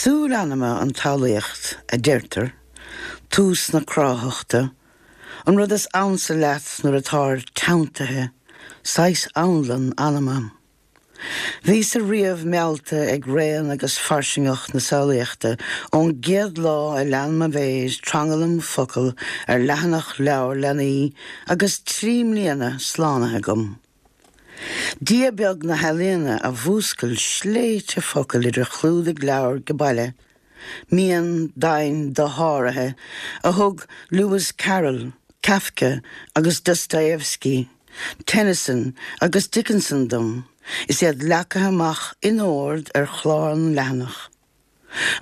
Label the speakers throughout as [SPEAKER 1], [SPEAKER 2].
[SPEAKER 1] Súil anama an tsamhlaíocht, a deirtear, tús na cráitheachta, an rud is ansa leat nuair atáir teanntaithe, saghas anlann anama. Bhíos-sa riamh meallta ag raon agus fairsingeacht na samhlaíochta ón gcéad lá a lean mo mhéir tranglam focal ar leathanach leabhar leanaí agus 3 mbliana slánaithe agam. Dia beag na healaíona a mhúscail sléibhte focal idir chlúdaigh leabhar age baile, mian domhain dosháraithe a thug Lewis Carroll, Kafka agus Dostoevsky, Tennyson agus Dickinson dom is iad leagtha amach in ord ar chlár na leathanach.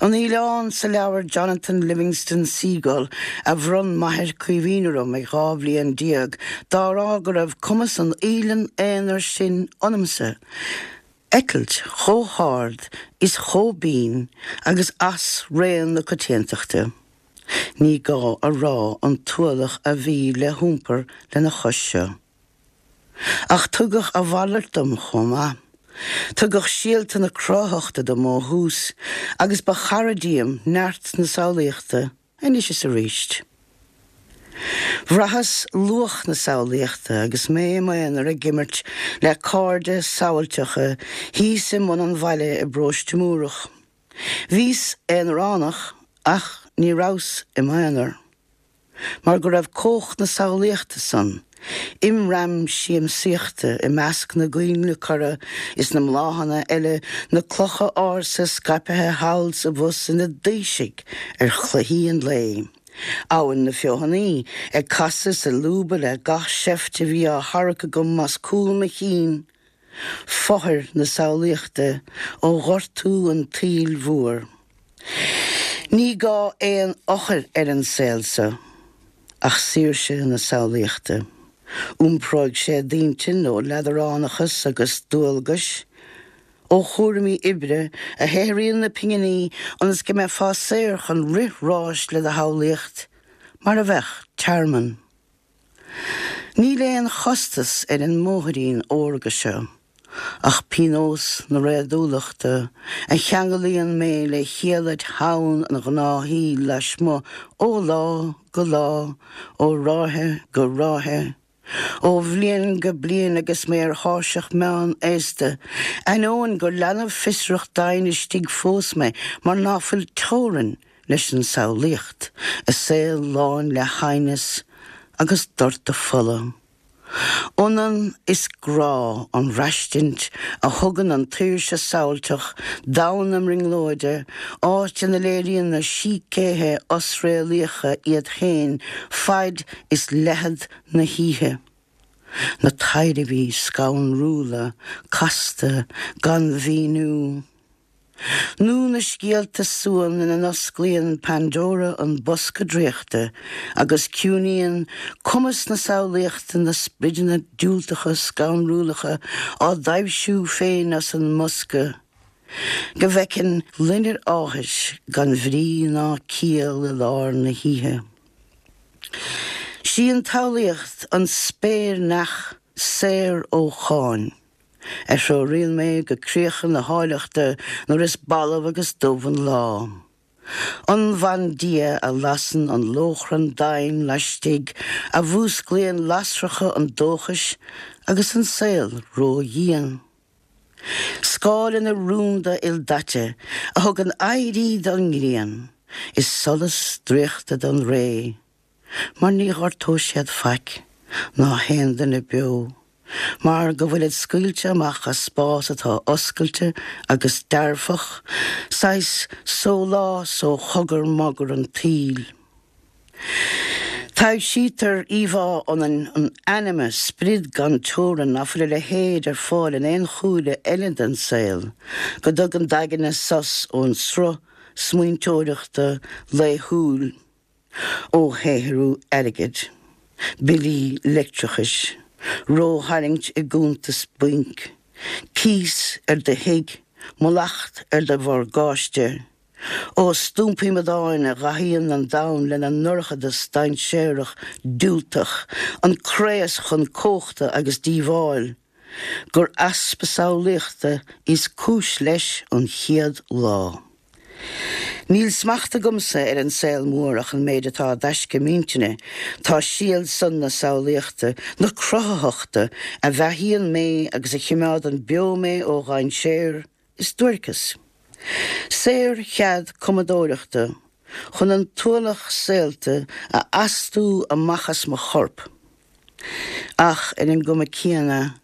[SPEAKER 1] An fhaoileán sa leabhar Jonathan Livingston Seagull a bhronn m'athair Caoimhín orm ag 12 bhliain dá rá go raibh cumas an fhaoilean aonair sin ionamsa eitilt chomh hard is chomh binn agus as raon na coitiantachta. Ní gá a rá an t-ualach a bhí le hiompar lena chois seo. Ach tugadh a mhalairt dom chomh maith. Tugadh síolta na cráitheachta dom ó thús agus ba chara díom neart na samhlaíochta anois is arís. Bhraitheas luach na samhlaíochta agus mé i m'aonar ag imirt le cairde samhailteacha thíos i mbun an bhaile i bParóiste Múrach. Bhíos aonaránach ach ní rabhas i m'aonar. Mar go raibh cumhacht na samhlaíochta san imram siamsaíochta i measc na gcoinnle corra is na mbláthanna eile, na clocha ársa scaipthe thall 's abhus ina dtaoisigh ar chluichí an lae. Abhainn na Feothanaí ag casadh is ag lúbadh le gach seift a bhí á tharrac agam as cúl mo chinn, Fothair na samhlaíochta ó ghortú an tsaoil mhór. Ní gá aon eochair ar an saol so ach saoirse na samhlaíochta. Iompróidh sé d'intinn ó leadaránachas agus dualgais, ó chúraimí oibre a shaothraíonn na pinginí ionas go mbeifeá saor chun rith ráis le do shamhlaíocht mar a bheadh tearmann. Níl aon chostas ar an mbóithrín órga seo ach pionós na réadúlachta a cheanglaíonn mé le hiallait theann an ghnáthshaoil lasmuigh ó lá go lá, ó ráithe go ráithe, ó bhliain go bliain agus mé ar thairseach meán aosta, ainneoin gur leanbh fiosrach domhain istigh fós mé mar ná fuil teorainn leis an samhlaíocht, i saol lán le haighneas agus doirteadh fola. Ionann is grá an bhraistint a thugann an tsaoirse samhailteach, domhan na mbrionglóide, áit ina léiríonn na sícéithe osréalaíocha iad féin faid is leithead na hoíche. Na taidhreamhaí scanrúla, casta, gan mhíniú. Nó na scéalta suan ina n-osclaíonn Pandora an bosca draíochta agus ciúnaíonn cumas na samhlaíochta na sprideanna diúltacha scanrúlacha á dtaibhsiú féin as an mbosca, go bhfeiceann loinnir áthais gan bhrí ná ciall i lár na hoíche. 'Sí an tsamhlaíocht an spéir-neach saor ó cháin. a threoraíonn mé go críocha na háilleachta nuair is balbh agus dubh an lá. An bhandia a lasann an lóchrann doimhin laistigh, a mhúsclaíonn lasracha an dóchais agus an saol ródhian. Scáileanna rúnda ildaite a thugann éirí don ngrian is solas draíochta don ré. Mar ní ghortóidh siad faic, ná haon duine beo, mar go bhfuilid scaoilte amach as spás atá oscailte agus dearfach, saghas sólás ó chogar magar an tsaoil. Taibhsítear íomhá ionainn an anama, sprid gan teorainn ná fuil a leithéid ar fáil in aon chúile eile den saol, go dtugann d'aigne sos ón sruth smaointeoireachta laethúil. ó shaothrú airgid, billí leictreachais, rótharraingt i gcuntas bainc, cíos ar do thigh, mallacht ar do mhorgáiste, ó stumpaí amadáin a dhathaíonn an domhan lena ndorchadas dainséarach diúltach, an craos chun cumhachta agus díobháil. gur easpa samhlaíochta is cúis leis an chéad lá. Níl smacht agamsa ar an saol mór ach an méid atá i dtaisce m'intinne, tá síol san na samhlaíochta, na cruthaitheachta, a bheathaíonn mé agus a chimeádann beo mé ó dhainséar is duairceas. Saorchead cumadóireachta chun an t-ualach saolta a astú amach as mo chorp. Ach ar an gcuma céanna,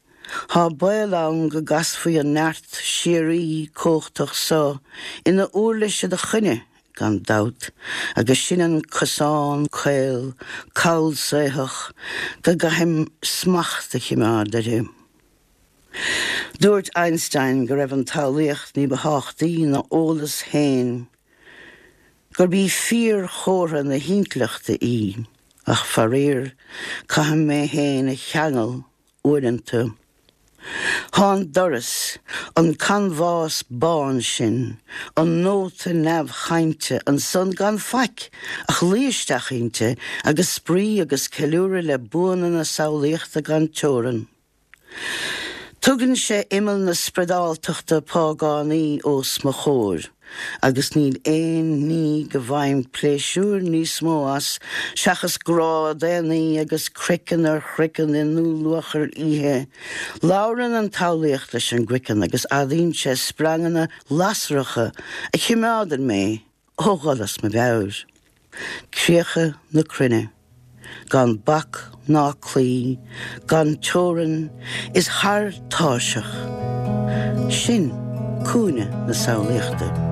[SPEAKER 1] thá baol ann go gcasfaí an neart síoraí cumhachtach so ina uirlis i do choinne, gan dabht, agus sin an cosán caol callsaothach go gcaithim smacht a chimeád uirthi. Dúirt Einstein go raibh an tsamhlaíocht ní ba thábhachtaí ná eolas féin, gurb í fíorchomhartha na hintleachta í, ach faraor, caithim mé féin a cheangal uaireanta. Thá an doras, an canbhás bán sin, an nóta neamhchainte ansan gan faic ach luí isteach inti agus spraoi agus ceiliúradh le buanna na samhlaíochta gan teorann. Tugann sé imeall na spriodáltachta págánaí os mo chomhair agus níl aon ní go bhfaighim pléisiúr níos mó as seachas grá daonnaí agus craiceann ar chraiceann i ndúluachair oíche. Labhrann an tsamhlaíocht leis an gcraiceann agus adaíonn sé spreanganna lasracha a chimeádann mé ó dhul as mo mheabhair. Críocha na cruinne, gan bac ná claí, gan teorainn, is thar tairseach. Sin cúinne na samhlaíochta.